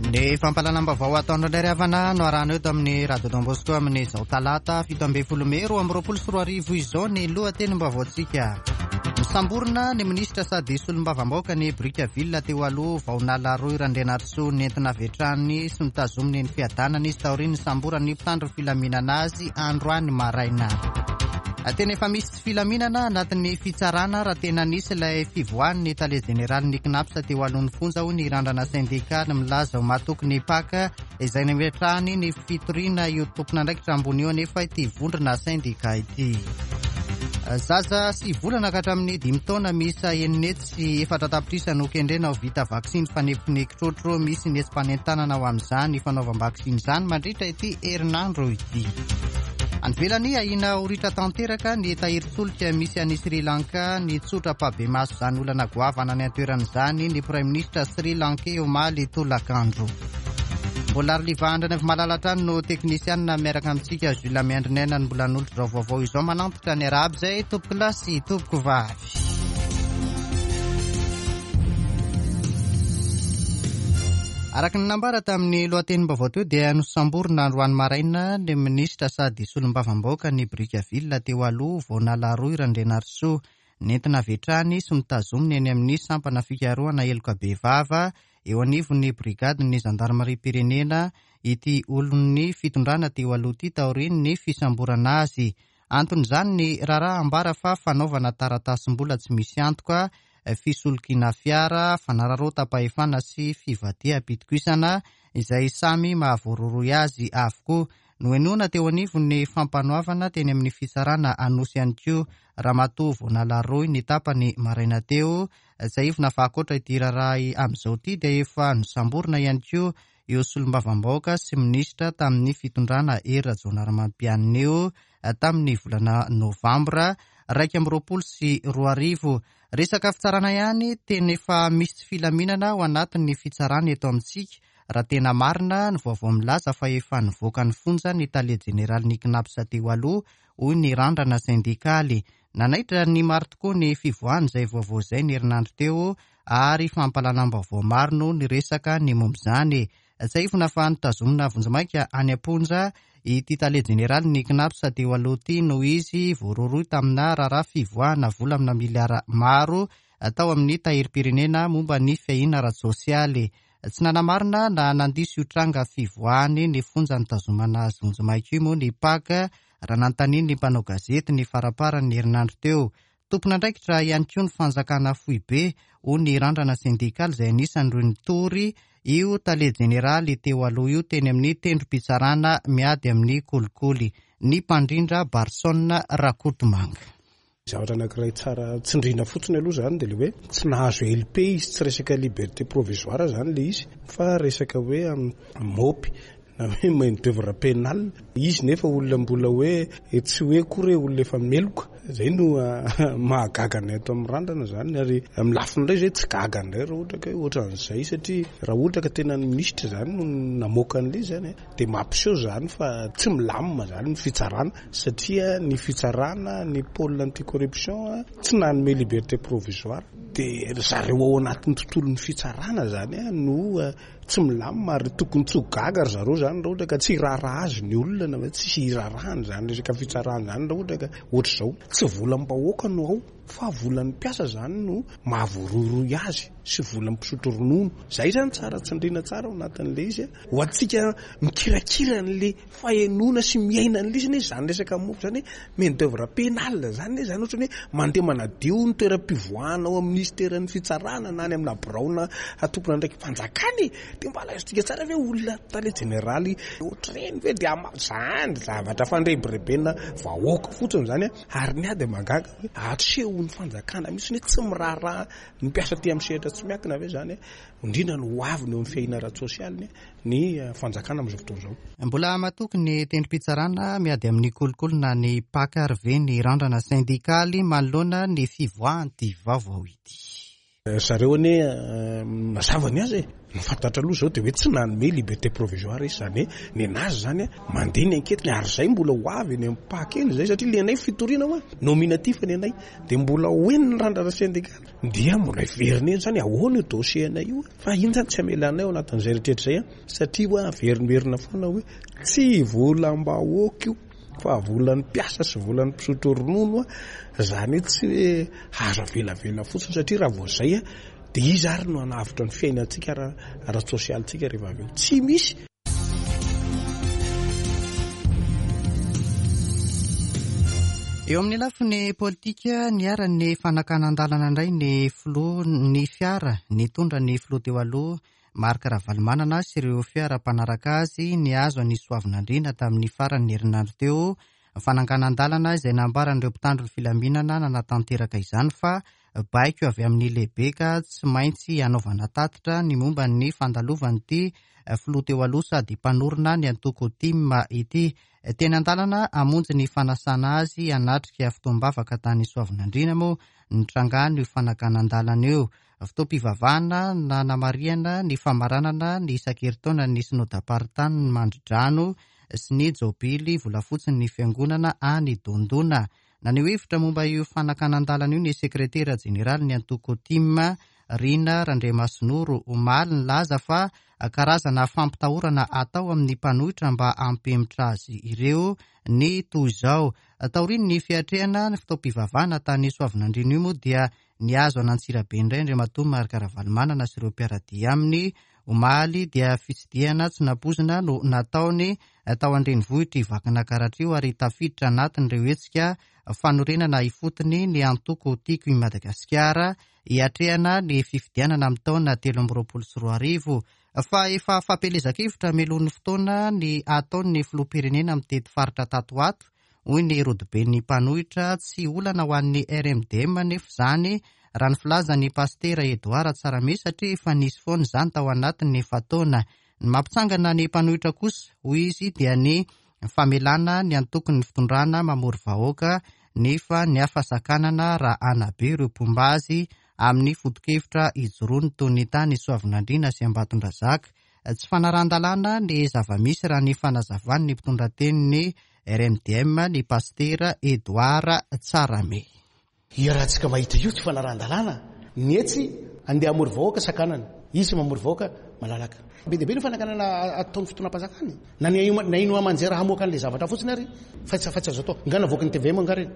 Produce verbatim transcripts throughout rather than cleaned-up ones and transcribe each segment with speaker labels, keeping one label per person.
Speaker 1: Ny fampahalalam-baovao ataonao indray ry havana no arahana eto amin'ny Radio Don Bosco amin'izao talata fito ambin'ny folo mey roa amby roapolo sy roa arivo izao ny lohatenim-baovaontsika. Nosamborina ny minisitra sady solombavambahoaka ny Brickaville teo aloha vao nalaroy Randrianarisoa nentina avy hatrany sy notazominy ny fiadanana izy taorian'ny nisamboran'ny mpitandro filaminana azy androany maraina. Tena efa misy tsy filaminana anatin'ny fitsarana raha tena nisy ilay fivoahan'ny tale jeneralin'ny CNAPS teo alohan'ny fonja hoy ny randrana sendikaly milaza ho matoky ny P A C izay nametrahany ny fitoriana io tompon'andraikitra ambony io anefa ity vondrona sendika ity. Zaza sy volana ka hatramin'ny dimy taona miisa enina hetsy sy efatra tapitrisa no kendrena ho vita vaksiny fanefin'ny kitrotro. Misy ny hetsi-panentanana ho amin'izany fanaovam-baksiny izany mandritra ity herinandro ity. Any ivelany, ahiana ho ritra tanteraka ny tahirin-tsolika misy any Sri Lanka. Nitsotra ampahibemaso izany olana goavana any an-toerana izany ny Praiminisitra Sri Lankey omaly tolakandro. Mbola Arliva Andrianaivomalala hatrany no teknisianina miaraka amintsika. Jules Miandrinena no mbola nanolotra izao vaovao izao. Manantitra ny arahaba izay tompoko lahy sy tompoko vavy. Araka ny nambara tamin'ny lohatenim-baovao teo dia nosamborina androany maraina ny minisitra sady solombavambahoaka ny Brickaville teo aloha vao nalaroy Randrianarisoa. Nentina avy hatrany sy notazomina eny amin'ny sampana fikarohana heloka bevava eo anivon'ny brigadin'ny zandarimariam-pirenena ity olon'ny fitondrana teo aloha ity taorian'ny fisamborana azy. Anton'izany ny raharaha ambara fa fanaovana taratasim-bola tsy misy antoka, fisolokiana fiara, fanararaotam-pahefana sy fivadiham-pitokisana izay samy mahavoarohirohy azy avokoa. Nohenoina teo anivon'ny fampanoavana teny amin'ny fitsarana Anosy ihany koa Ramatoa vao nalaroy ny tapany maraina teo. Tsiahivina fa ankoatra ity raharaha amin'izao ity dia efa nosamborina ihany koa io solombavambahoaka sy minisitra tamin'ny fitondrana Hery Rajaonarimampianina io tamin'ny volana novambra iraika amby roapolo sy roa arivo. Resaka fitsarana ihany, tena efa misy tsy filaminana ao anatin'ny fitsarana eto amintsika. Raha tena marina ny vaovao milaza fa efa nivoaka ny fonja ny tale jeneralin'ny CNAPS teo aloha, hoy ny randrana sendikaly. Nanaitra ny maro tokoa ny fivoahany izay vaovao izay ny herinandro teo ary fampahalalam-baovao maro no niresaka ny momba izany. Tsiahivina fa notazomina vonjimaika any am-ponja ity tale jeneralin'ny CNAPS teo aloha ity noho izy voarohirohy tamina raharaha fivoahana vola amina miliara maro tao amin'ny tahirim-pirenena momba ny fiahiana ara-tsosialy. Tsy nanamarina na nandiso io tranga fivoahany ny fonja nitazomana azy vonjimaika io moa ny P A C raha nanontanian'ny mpanao gazety ny faramparan'ny herinandro teo. Tompon'andraikitra ihany koa ny fanjakana foibe hoy ny randrana sendikaly izay anisan'ireo nitory io tale jeneraly teo aloha io teny amin'ny tendrom-pitsarana miady amin'ny kolikoly, ny mpandrindra Barson Rakotomanga.
Speaker 2: Zavatra anankiray tsara tsindrina fotsiny aloha zany dia le hoe tsy nahazo L P izy, tsy resaka liberté provisoire zany le izy fa resaka hoe mopy na hoe main d'œuvre pénale izy, nefa olona mbola hoe tsy hoe akory hoe olona efa meloka. Zay no mahagaga anay ato amin'ny randrana zany, ary amin'ny lafiny indray zay tsy gaga indray raha ohatra ka hoe ohatran'izay, satria raha ohatra ka tena ny minisitra zany no namoaka an'ilay izy zany dia mampiseho zany fa tsy milamina zany ny fitsarana, satria ny fitsarana ny pôle anticorruption tsy nanome liberté provisoire, dia ry zareo ao anatin'ny tontolon'ny fitsarana zany no tsy milamina, ary tokony tsy ho gaga ry zareo zany raha ohatra ka tsy hiraharaha azy ny olona na hoe tsy hiraharaha zany resaka fitsarana zany raha ohatra ka ohatr'izao. Tsy volam-bahoaka no ao fa volan'ny mpiasa zany no mahavoarohirohy azy sy volan'ny mpisotro ronono. Zay zany tsara tsindrina tsara ao anatin'ilay izy. Ho antsika mikirakira an'ilay fahenoana sy miaina an'ilay izy anie zany resaka mofo zany hoe main d'œuvre pénale zany anie zany, ohatran'ny hoe mandeha manadio ny toeram-pivoahana ao amin'ny ministeran'ny fitsarana na any amina biraona tompon'andraiki-panjakana e. Dia mba lazaintsika tsara ve olona tale jeneraly ohatr'ireny ve dia ama-, zany zavatra fandrebirebena vahoaka fotsiny zany a. Ary ny ahy dia mahagaga hoe asehon'ny fanjakana mihitsy hoe tsy miraharaha ny mpiasa aty amin'ny sehatra tsy miankina ve zany, indrindra ny ho aviny eo amin'ny fiahiana ara-tsosialy ny fanjakana amin'izao fotoana izao.
Speaker 1: Mbola matoky ny tendrom-pitsarana miady amin'ny kolikoly na ny P A C ary ve ny randrana sendikaly manoloana ny fivoahan'ity vaovao ity.
Speaker 2: Zareo anie mazava ny azy e. Ny fantatra aloha zao dia hoe tsy nanome liberté provisoire izy, zany hoe ny anazy zany mandeha ny enquête ary zay mbola ho avy eny amin'ny P A C eny zay, satria le anay fitoriana hoa nominatif ny anay dia mbola ho eny ny randrana syndical dia mbola hiverina eny zany ahoana io dossier anay io, fa iny zany tsy amelanay ao anatin'izay rehetrarehetra zay, satria hoa averimberina foana hoe tsy volam-bahoaka io fa volan'ny mpiasa sy volan'ny mpisotro ronono, a zany hoe tsy hoe azo avelavela fotsiny, satria raha vao zay a dia izy ary no hanavotra ny fiainantsika ara-tsosialintsika rehefa avy eo tsy misy.
Speaker 1: Eo amin'ny lafiny politika, niharan'ny fanakanan-dalana indray ny filoha ny fiara nitondra ny filoha teo aloha Marc Ravalomanana sy ireo fiara mpanaraka azy nihazo ny Soavinandriana tamin'ny faran'ny herinandro teo. Fananganan-dalana izay nambaran'ireo mpitandro ny filaminana nanatanteraka izany fa baiko avy amin'ny lehibe ka tsy maintsy hanaovana tatitra ny momba ny fandalovan'ity filoha teo aloha sady mpanorina ny antoko T I M ity. Teny an-dalana hamonjy ny fanasana azy hanatrika fotoam-bavaka tany Soavinandriana moa nitrangany io fanakanan-dalana io. Fotoam-pivavahana nanamarihana ny famaranana ny isan-kerintaona ny synodam-paritany Mandridrano sy ny jobily volafotsy ny fiangonana any Dondona. Naneho hevitra momba io fanakanan-dalana io ny sekretera jeneraly ny antoko T I M, Rina Randriamasinoro, omaly nilaza fa karazana fampitahorana atao amin'ny mpanohitra mba hampihemotra azy ireo ny toy izao. Taorian'ny fiatrehana ny fotoam-pivavahana tany Soavinandriana io moa dia nihazo an'Antsirabe indray Andriamatoa Marc Ravalomanana sy ireo mpiara-dia aminy. Omaly dia fitsidihana tsy nampoizina no nataony tao an-drenivohitra Vakinankaratra io, ary tafiditra anatin'ireo hetsika fanorenana ifotony ny antoko Tiako i Madagasikara hiatrehana ny fifidianana amin'ny taona telo amby roapolo sy roa arivo. Fa efa fampielezan-kevitra mialohan'ny fotoana ny ataon'ny filoham-pirenena mitety faritra tato ato, hoy ny rodoben'ny mpanohitra. Tsy olana ho an'ny R M D M nefa izany, raha ny filazan'ny pastera Edouard Tsarame, satria efa nisy foana izany tao anatin'ny efa-taona. Ny mampitsangana ny mpanohitra kosa, hoy izy, dia ny famelana ny antokon'ny fitondrana mamory vahoaka nefa ny hafasakanana raha hanabe ireo mpomba azy amin'ny foto-kevitra ijoroany toy ny tany Soavinandriana sy Ambatondrazaka. Tsy fanarahan-dalàna ny zava-misy, raha ny fanazavany ny mpitondra tenin'ny R M D M, ny pastera Edouard Tsarame.
Speaker 3: Iarahantsika mahita io tsy fanarahan-dalàna. Ny etsy andeha hamory vahoaka sakanana, izy mamory vahoaka malalaka. Be dia be ny fanakanana ataon'ny fitondram-panjakana, na ny na ino aman-jera hamoaka an'ilay zavatra fotsiny ary fa tsy fa tsy azo atao nga navoaka ny T V M nga reny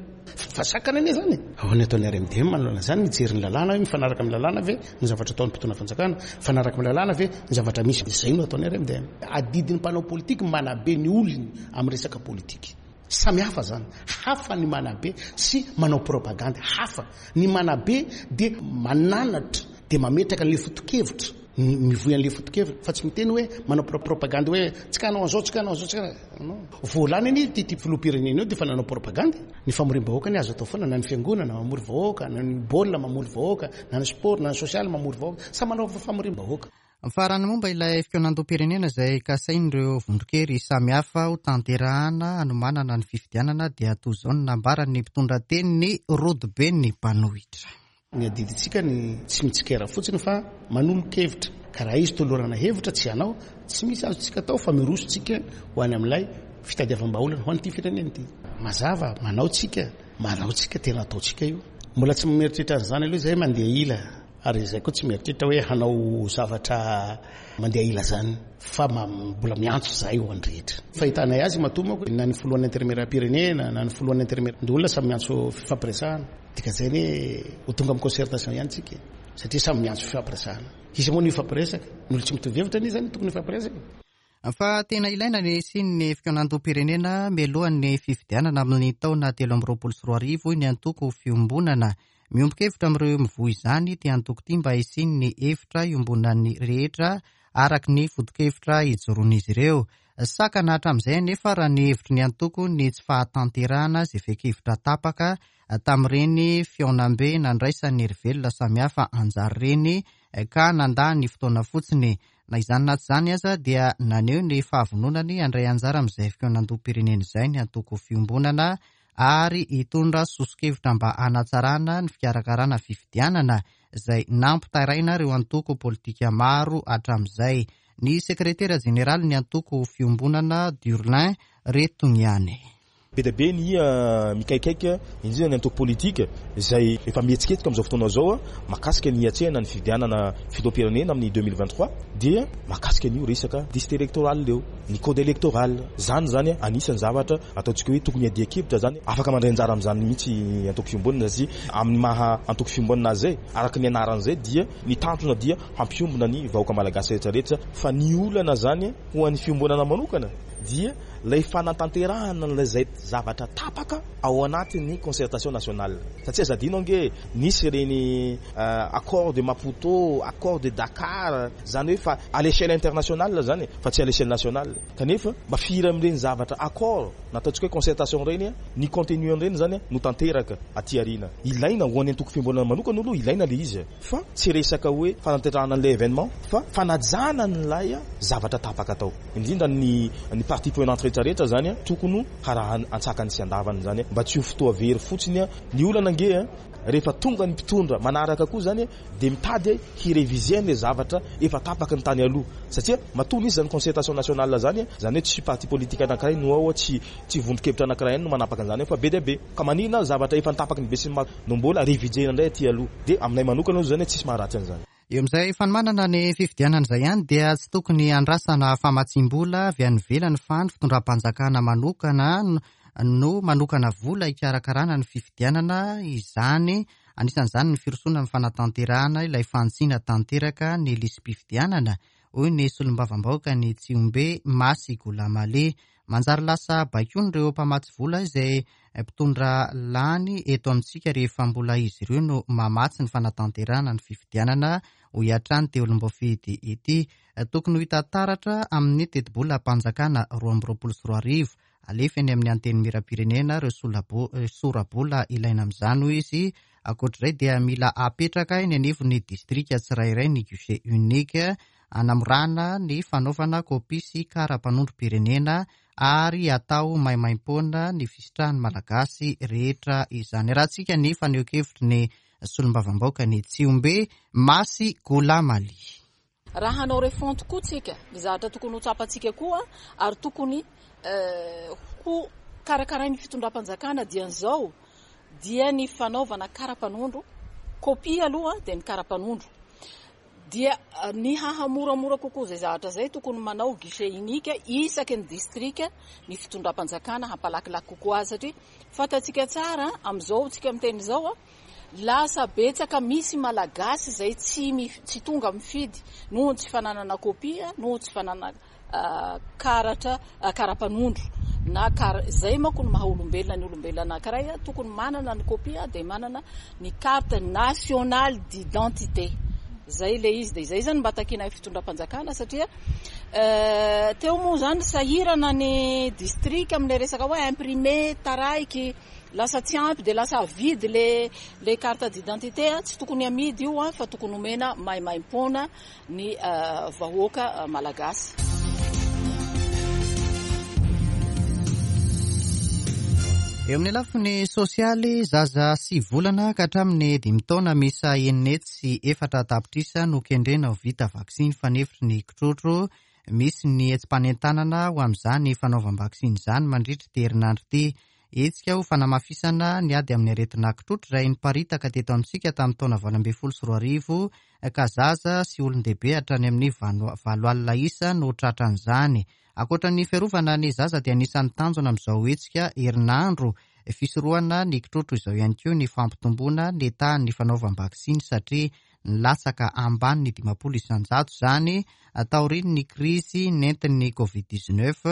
Speaker 3: fa sakana anie zany. Ahoana ataon'ny R M D M manoloana zany? Mijery ny lalàna hoe mifanaraka amin'ny lalàna ve ny zavatra ataon'ny mpitondra fanjakana, mifanaraka amin'ny lalàna ve ny zavatra misy, izay no ataon'ny R M D M. Adidin'ny mpanao politika manabe ny olony amin'ny resaka politika. Samy hafa zany, hafa ny manabe sy manao propagande, hafa ny manabe de mananatra de mametraka an'le foto-kevitra, mivoy an'le foto-kevitra, fa tsy miteny hoe manao propagande hoe tsy ka hanao an'izao, tsy ka hanao an'izao, tsy ka non voalany anie ty ty filoham-pirenena io de fa nanao propagande. Ny famorim-bahoaka ny azo atao foana, na ny fiangonana mamory vahoaka, na ny baolina mamory vahoaka, na ny sport, na ny sosialy mamory vahoaka, samy manao famorim-bahoaka.
Speaker 1: Farany, momba ilay fikaonandoham-pirenena izay kasain'ireo vondron-kery samihafa ho tanterahana hanomanana ny fifidianana, dia toy izao ny nambaran'ny mpitondra teny rodoben'ny mpanohitra.
Speaker 3: Ny adidintsika ny tsy mitsikera fotsiny fa manolo-kevitra, ka raha izy tolorana hevitra tsy hanao, tsy misy azontsika atao fa miroso tsika ho any amin'ilay fitadiavam-baolana ho an'ity firenena ity. Mazava, manao tsika, manao tsika, tena ataontsika io. Mbola tsy mieritreritra an'izany aloha zay mandeha ila, ary zay koa tsy mieritreritra hoe hanao zavatra mandeha ila zany, fa mbola miantso zahay ho an'ny rehetra. Fahitanay azy matoa manko na ny filohan'ny antenimieram-pirenena na ny filohan'ny antenimieran-doholona samy miantso fifampiresahana, dikan'izay ny ho tonga amin'ny concertation ihany tsika, satria samy miantso fifampiresahana. Izy moa no hifampiresaka, ny olo tsy mitovy hevitra anie zany tokony hifampiresaka.
Speaker 1: Fa tena ilaina ny hisian'ny fikaonandoham-pirenena mialohan'ny fifidianana amin'ny taona telo amby roapolo sy roa arivo, ny antoko Fiombonana. Miombon-kevitra amin'ireo mivoy izany ity antoko ity mba hisian'ny hevitra iombonan'ny rehetra araky ny foto-kevitra ijoroan'izy ireo. Sakana hatramin'izay anefa, raha ny hevitry ny antoko, ny tsy fahatanterahana izay fekan-kevitra tapaka tamin'ireny fihaonambe nandraisan'ny herivelona samihafa anjara reny ka nandany fotoana fotsiny. Na izany na tsy izany aza, dia naneho ny fahavononany handray anjara amin'izay fikaonandoham-pirenena izay ny antoko Fiombonana, ary hitondra soso-kevitra mba hanatsarana ny fikarakarana fifidianana. izay nampitaraina ireo antoko politika maro hatramin'izay. Ny sekretera jeneraly ny antoko Fiombonana Durlin Retogniane.
Speaker 4: Be dia be ny mikaikaika indrindra ny antoko politika izay efa mihetsiketsika amin'izao fotoana izao mahakasika ny hiatrehana ny fifidianana filoham-pirenena amin'ny deux mille vingt-trois dia mahakasika an'io resaka liste électorale eo, ny code électoral. Zany zany anisan'ny zavatra ataontsika hoe tokony hiadian-kevitra zany, afaka mandray anjara amin'izany mihitsy antoko Fiombonana satria amin'ny maha antoko Fiombonana azy zay, araka ny anaran'izay dia ny tanjona dia hampiombona ny vahoaka malagasy rehetrarehetra. Fa ny olana zany ho an'ny Fiombonana manokana dia ilay fanatanterahana an'ilay zavatra tapaka ao anatin'ny concertation nationale. Satria aza adino ange nisy ireny accord de Maputo, accord de Dakar, zany hoe fa à l'échelle internationale zany fa tsy à l'échelle nationale. Kanefa mba firy amin'ireny zavatra accord nataontsika hoe concertation ireny, ny contenu an'ireny zany no tanteraka aty aoriana. Ilaina ho an'ny antoko Fiombonana manokana aloha, ilaina le izy fa tsy resaka hoe fanatanterahana an'ilay événement fa fanajana an'ilay zavatra tapaka atao. Indrindra ny ny partie prenante rehetrarehetra zany tokony harahana antsakany sy andavany zany mba tsy ho fotoa very fotsiny. Ny olana ange rehefa tonga ny mpitondra manaraka koa zany dia mitady hireviser ny zavatra efa tapaka ny tany aloha, satria matoa nisy zany concertation nationale zany, zany hoe tsy parti politique anankiray no ao, tsy tsy vondron-kevitra anankiray no manapaka an'izany fa be dia be. Ka manina zavatra efa nitapaky ny be sy ny maro no mbola reviser indray aty aloha, dia aminay manokana zany tsisy maharatsy an'izany.
Speaker 1: Eo amin'izay fanomanana ny fifidianana izay ihany dia tsy tokony andrasana famatsiam-bola avy any ivelany fa ny fitondram-panjakana manokana no manokana vola hikarakarana ny fifidianana izany. Anisan'izany ny firosoana amin'ny fanatanterahana ilay fantsina tanteraka ny lisi-pifidianana, hoy ny solombavambahoaka ny Tsiombe Masy Golamale. Manjary lasa baikoana ireo mpamatsy vola izay mpitondra lany eto amintsika rehefa mbola izy ireo no mamatsy ny fanatanterahana ny fifidianana, hoy hatrany teo olom-boafidy ity. Tokony ho hita taratra amin'ny tetibolam-panjakana roa amby roapolo sy roa arivo alefa eny amin'ny antenimieram-pirenena ireo sora-bola ilaina amin'izany, hoy izy. Ankoatr'izay dia mila apetraka eny anivon'ny distrika tsirairay ny guichet unique anamorana ny fanaovana kopia sy kara-panondrom-pirenena ary atao maimaimpoana ny fisitrahan'ny malagasy rehetra izany. Rahantsika ny fanehoan-kevitry ny solombavambahoaka ny Tsiombe Masy Golamali.
Speaker 5: Raha hanao refonte koa tsika, ny zavatra tokony ho tsapantsika koa ary tokony ho karakarain'ny fitondram-panjakana dian'izao dia ny fanaovana kara-panondro, kopia aloha dia ny kara-panondro. Dia ny hahamoramora kokoa izay zavatra izay tokony manao guichet unique isaky ny distrika ny fitondram-panjakana hampalakilaky kokoa azy, satria fantatsika tsara amin'izao tsika miteny izao lasa betsaka misy malagasy izay tsy tsy tonga mifidy noho ny tsy fananana kopia, noho tsy fananana karatra kara-panondro na kara izay manko no maha olombelona ny olombelona anankiray tokony manana ny kopia dia manana ny carte nationale d'identité. Zay le izy dia izay zany mba takiana fitondram-panjakana satria teo moa zany sahirana ny district amin'ilay resaka hoe imprimer taraiky lasa tsy ampy dia lasa avidy le le carte d'identité, tsy tokony amidy io fa tokony omena maimaimpoana ny vahoaka malagasy.
Speaker 1: Eo amin'ny lafiny sosialy, zaza sivy volana ka hatramin'ny dimy taona miisa enina hetsy sy efatra tapitrisa no kendrena ho vita vaksiny fanefitry ny kitrotro. Misy ny hetsi-panentanana ho amin'izany fanaovam-baksiny izany mandritra ity herinandro ity. Hetsika ho fanamafisana ny ady amin'ny aretina kitrotro izay niparitaka teto amintsika tamin'ny taona valo ambin'ny folo sy roa arivo ka zaza sy olon-dehibe hatrany amin'ny valo alina isa no tratran'izany. Ankoatra ny fiarovana ny zaza dia anisan'ny tanjona amin'izao hetsika herinandro fisorohana ny kitrotro izao ihany koa ny fampitomboana ny tahan'ny fanaovam-baksiny satria nilatsaka ambany ny dimampolo isanjato izany taorian'ny krizy nentin'ny covid dix-neuf,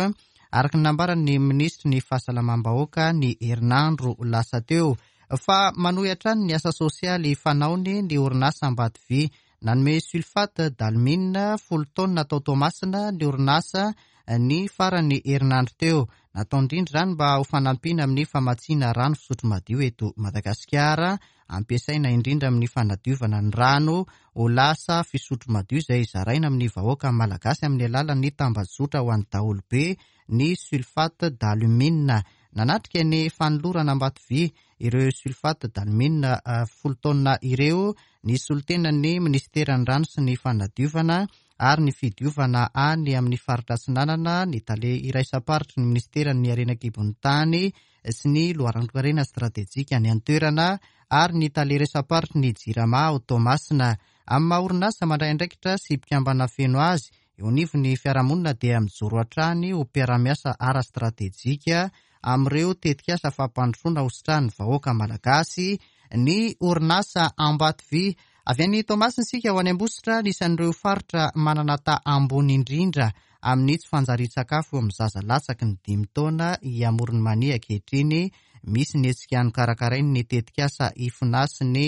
Speaker 1: araka ny nambaran'ny minisitry ny fahasalamam-bahoaka ny herinandro lasa teo. Fa manohy hatrany ny asa sosialy fanaony ny orinasa Ambatovy. Nanome sulfate d'alumine folo taonina tao Toamasina ny orinasa ny farany herinandro teo. Natao indrindra izany mba ho fanampiana amin'ny famatsiana rano fisotro madio eto Madagasikara, ampiasaina indrindra amin'ny fanadiovana ny rano ho lasa fisotro madio izay zaraina amin'ny vahoaka malagasy amin'ny alalan'ny tambajotra ho an'ny daholobe ny sulfate d'alumine. Nanatrika ny fanolorana Ambatovy ireo sulfate d'alumine folo taonina ireo ny solontenan'ny ministeran'ny rano sy ny fanadiovana ary ny fidiovana any amin'ny faritra Atsinanana, ny tale iraisam-paritry ny ministeran'ny harena an-kibon'ny tany sy ny loharanon-karena stratejika any an-toerana ary ny tale iraisam-paritry ny Jirama ao Toamasina. Amin'ny maha orinasa mandray andraikitra sy mpikambana feno azy eo anivon'ny fiarahamonina dia mijoro hatrany ho mpiara-miasa ara-stratejika amin'ireo tetikasa fampandrosoana ho sitrahan'ny vahoaka malagasy ny orinasa Ambatovy. Avy any Toamasina isika ho any Ambositra, anisan'ireo faritra manana taha ambony indrindra amin'ny tsy fanjarian-tsakafo eo amin'ny zaza latsaky ny dimy taona i Amoron'i Mania ankehitriny. Misy ny hetsika nokarakarain'ny tetikasa Ifona sy ny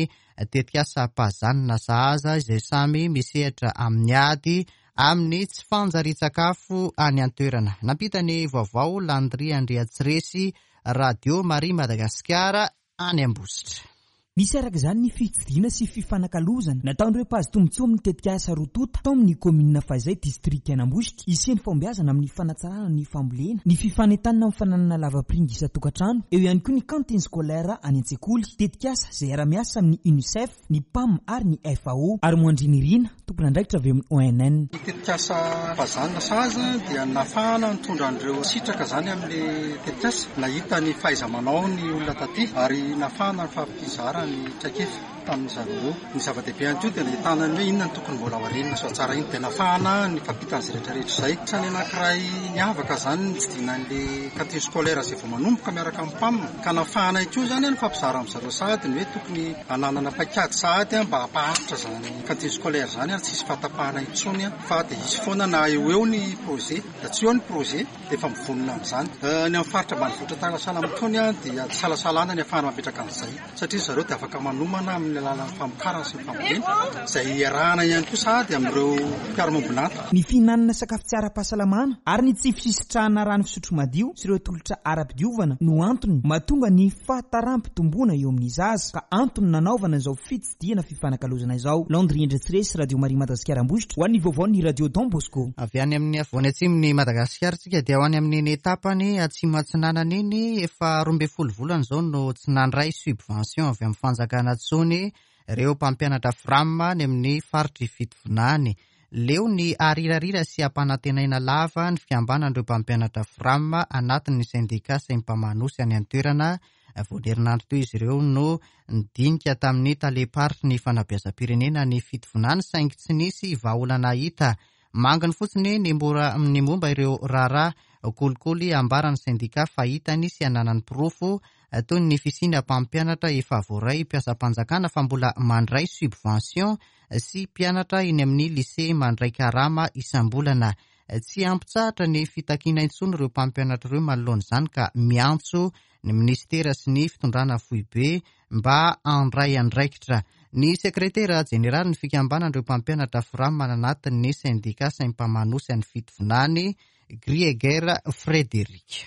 Speaker 1: tetikasa Pazanina sahaza izay samy misehatra amin'ny ady amin'ny tsy fanjarian-tsakafo any an-toerana. Nampita ny vaovao Landry Andriatsiresy, Radio Maria Madagasikara any Ambositra.
Speaker 6: Misy araka izany ny fitsidihana sy fifanakalozana nataon'ireo mpahazo tombontsoa amin'ny tetikasa roa tonta tao amin'ny kaominina Fahizay, distrikan'Ambositra. Hisian'ny fahombiazana amin'ny fanatsarana ny fambolena, ny fifanentanana amin'ny fananana lavapiringa isan-tokantrano, eo ihany koa ny cantine scolaire any an-tsekoly. Tetikasa izay hiara-miasa amin'ny UNICEF, ny PAM ary ny F A O ary Moandrinirina, tompon'andraikitra avy amin'ny O N N.
Speaker 7: Ny tetikasa Pazanina sahaza dia nahafahana nitondra an'ireo sitraka izany amin'ilay tetikasa, nahita ny fahaiza-manao ny olona taty ary nahafahana nifampizara ny traikefa tamin'ny zareo ireo. Ny zava-dehibe ihany koa dia nahitana ny hoe inona no tokony mbola ho arenina sy ho tsaraina, dia nahafahana ny fampitan'izay rehetrarehetra izay. Isan'ny anankiray niavaka izany ny tsidinan'ilay cantine scolaire izay vao manomboka miaraka amin'ny PAM, ka nahafahana ihany koa izany ny fampizara amin'ny zareo sahady ny hoe tokony hananana paikady sahady mba hampaharitra izany cantine scolaire izany ary tsy hisy fahatapahana intsony, fa dia hisy foana na eo eo ny projet, dia tsy eo ny projet dia efa mivonona amin'izany. Ny amin'ny faritra ambanivohitra tahaka sahala amin'itony dia tsy salasalana ny ahafahana mametraka an'izay, satria zareo dia afaka manomana amin'ny alalan'ny famokarana sy ny fambolena izay iarahana ihany koa sahady amin'ireo mpiara-miombon'antoka.
Speaker 6: Ny fihinanana sakafo tsy ara-pahasalamana ary ny tsy fisitrahana rano fisotro madio sy ireo tolotra ara-pidiovana no antony mahatonga ny fahataram-pitomboana eo amin'ny zaza, ka antony nanaovana izao fitsidihana fifanakalozana izao. Landry Andriatsiresy, Radio Maria Madagasikara Ambositra, ho an'ny vaovaon'ny Radio Don Bosco.
Speaker 1: Avy any amin'ny afovoany atsimon'i Madagasikara tsika dia ho any amin'ny tapany atsimo atsinanana iny, efa roa ambin'ny folo volana izao no tsy nandray subvention avy amin'ny fanjakana intsony ireo mpampianatra FRAM any amin'ny faritry Fitovinany. Leo ny arirarira sy ampanantenaina lava ny fikambanan'ireo mpampianatra FRAM anatin'ny sendika Sempamanosy any an-toerana. Vao herinandro teo izy ireo no nidinika tamin'ny tale-paritry ny fanabeazam-pirenena ny Fitovinany, saingy tsy nisy vahaolana hita. Manginy fotsiny ny mora ny momba ireo raharaha kolikoly ambaran'ny sendika fa hitany sy ananany porofo toy ny fisiana mpampianatra efa voaray mpiasam-panjakana fa mbola mandray subvention sy mpianatra eny amin'ny lycée mandray karama isam-bolana. Tsy ampitsahatra ny fitakiana intsony ireo mpampianatra ireo manoloana izany, ka miantso ny ministera sy ny fitondrana foibe mba handray andraikitra. Ny sekretera jeneraly ny fikambanan'ireo mpampianatra FRAM anatin'ny sendika Sempamanosy any Fitovinany, Grieger Frédéric.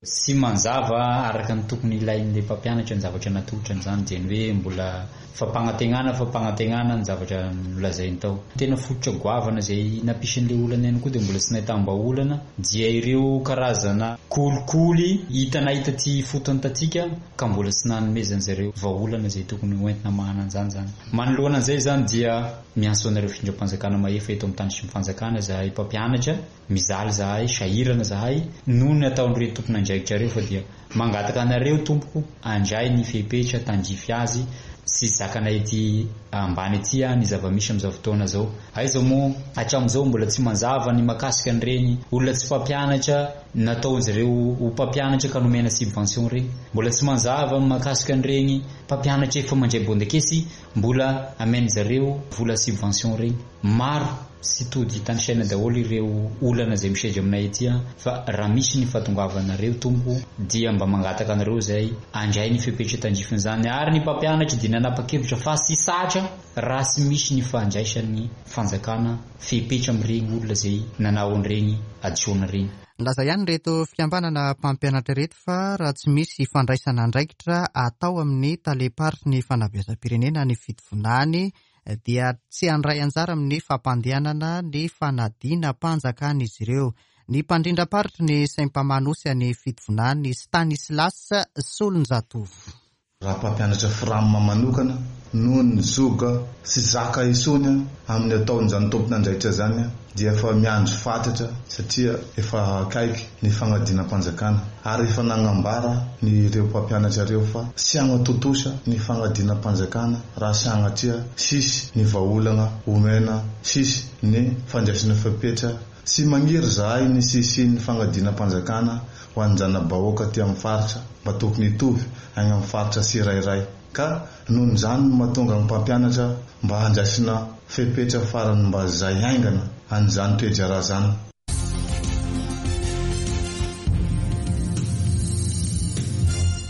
Speaker 8: Tsy manjava araka ny tokony ilain'ilay mpampianatra ny zavatra natolotra an'izany, dia ny hoe mbola fampanantenana, fampanantenana ny zavatra nolazainy tao. Tena fototra goavana izay nampisin'ilay olana ihany koa dia mbola tsy nahitam-bahaolana, dia ireo karazana kolikoly hita nahita ty fotony tatsika ka mbola tsy nanomezan'izareo vahaolana izay tokony hoentina mahana an'izany izany. Manoloana an'izay izany dia miantso anareo fitondram-panjakana mahefa eto amin'ny tany sy ny fanjakana izahay mpampianatra, mizaly izahay, sahirana izahay noho ny ataon'ireo tompon'andraikitra ireo, fa dia mangataka anareo tompoko handray ny fepetra tandrify azy sy zakanay ety ambany ety ny zava-misy amin'izao fotoana izao. Aiza moa hatramin'izao mbola tsy manjava ny mahakasika an'ireny olona tsy mpampianatra nataon'izareo ho mpampianatra ka nomena subvention ireny, mbola tsy manjava ny mahakasika an'ireny mpampianatra efa mandray bondakesy mbola amen'izareo vola subvention ireny. Maro sy tody tanisaina daholo ireo olana izay misedra aminay ety, fa raha misy ny fahatongavanareo tompoko dia mba mangataka anareo izay handray ny fepetra tandrifin'izany, ary ny mpampianatra dia nanapa-kevitra fa tsy satra raha tsy misy ny fandraisan'ny fanjakana fepetra amin'ireny olona izay nanao an'ireny hadisoana ireny.
Speaker 1: Nilaza ihany ireto fikambanana mpampianatra ireto fa raha tsy misy fandraisana andraikitra atao amin'ny tale-paritry ny fanabeazam-pirenena ny Fitovinany dia tsy handray anjara amin'ny fampandehanana ny fanadinam-panjakana izy ireo. Ny mpandrindram-paritry ny Sempama Nosy any Fitovinany, Stanislas Solonjatovo.
Speaker 9: Raha mpampianatra Fram manokana noho ny zoga sy zaka isony amin'ny ataon'izany tompon'andraikitra zany dia efa miandry fatratra satria efa akaiky ny fanadinam-panjakana ary efa nagnambara ny ireo mpampianatra ireo fa tsy hanatontosa ny fanadinam-panjakana raha sanatria sisy ny vahaolana omena, sisy ny fandraisana fepetra. Tsy magniry zahay ny sisy ny fanadinam-panjakana ho an'ny-jana-bahoaka aty amin'ny faritra mba tokony hitovy any amin'ny faritra tsirairay ka noho izany no mahatonga ny mpampianatra mba handraisina fepetra farany mba zay haingana an'izany toe-draharaha zany.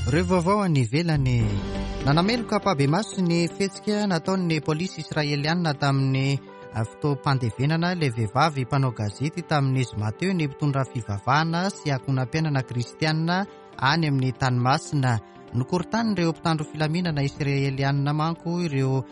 Speaker 1: Ireo vaovao any ivelany. Nanameloka ampahibemaso ny fihetsika nataon'ny polisy israelianina tamin'ny fotoam-pandevenana ilay vehivavy mpanao gazety tamin'ny zoma teo ny mpitondra fivavahana sy ankohonam-piainana kristianina any amin'ny tany masina. Nokorontanin'ireo mpitandro filaminana israelianina manko ireo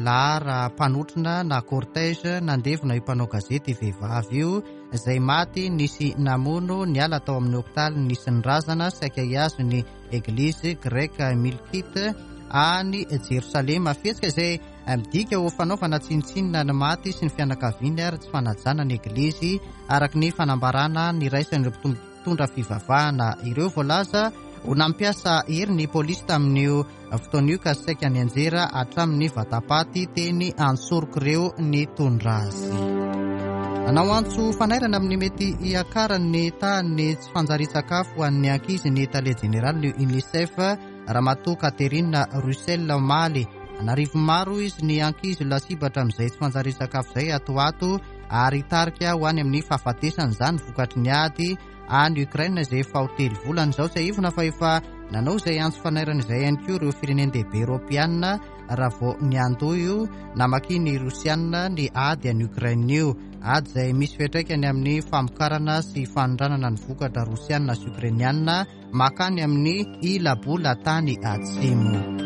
Speaker 1: lara mpanotrona na cortège nandevona io mpanao gazety vehivavy io izay maty nisy namono niala tao amin'ny hopitaly nisy ny razana saika hihazo ny eglizy greka Milkite any Jerosalema. Fihetsika izay midika ho fanaovana tsinontsinona ny maty sy ny fianakaviany ary tsy fanajana ny eglizy araka ny fanambarana niraisan'ireo mpitondra fivavahana ireo. Voalaza ho nampiasa hery ny polisy tamin'io fotoana io ka saika nianjera hatramin'ny vatapaty teny antsorok'ireo nitondra azy. Nanao antso fanairana amin'ny mety hiakaran'ny tahan'ny tsy fanjarian-tsakafo ho an'ny ankizy ny tale jeneraly UNICEF Ramatoa Catherine Russell omaly. An'arivo maro izy ny ankizy lasibatra amin'izay tsy fanjarian-tsakafo izay ato ato ary hitarika ho any amin'ny fahafatesana izany vokatry ny ady any Ukraine izay efa ho telo volana izao. Tsiahivina fa efa nanao izay antso fanairana izay ihany koa ireo firenen-dehibe eoropeanina raha vao niandoha io namakian'ny Rosianina ny ady any Ukraine io. Ady izay misy fiantraikany amin'ny famokarana sy fanondranana ny vokatra rosianina sy ukrainianina makany amin'ny ila-bola tany atsimo.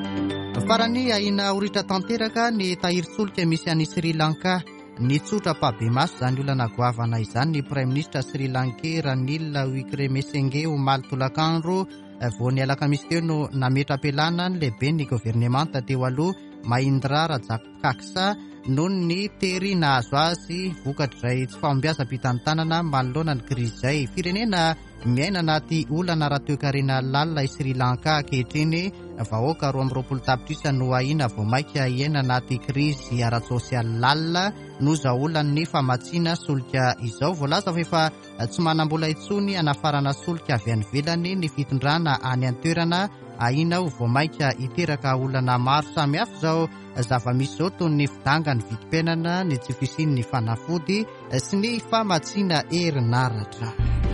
Speaker 1: Farany, ahiana ho ritra tanteraka ny tahirin-tsolika misy any Sri Lanka. Nitsotra ampahibemaso izany olana goavana izany ny praiminisitra Sri Lankais Ranil Wickremesinghe omaly tolakandro. Vao ny alakamisy teo no nametra-pialana ny lehiben'ny governemanta teo aloha Mahindra Rajapaksa noho ny tery nahazo azy vokatr'izay tsy fahombiazam-pitantanana manoloana ny krizy izay. Firenena miaina anaty olana ara-toekarena lalina i Sri Lanka ankehitriny. Vahoaka roa amby roapolo tapitrisa no ahiana vao mainka hiaina anaty krizy ara-tsosialy lalina noho izao olan'ny famatsiana solika izao. Voalaza fa efa tsy manam-bola intsony hanafarana solika avy any ivelany ny fitondrana any an-toerana. Ahiana ho vao mainka hiteraka olana maro samihafa izao zava-misy izao toy ny fidangan'ny vidim-piainana, ny tsy fisian'ny fanafody sy ny famatsiana herinaratra.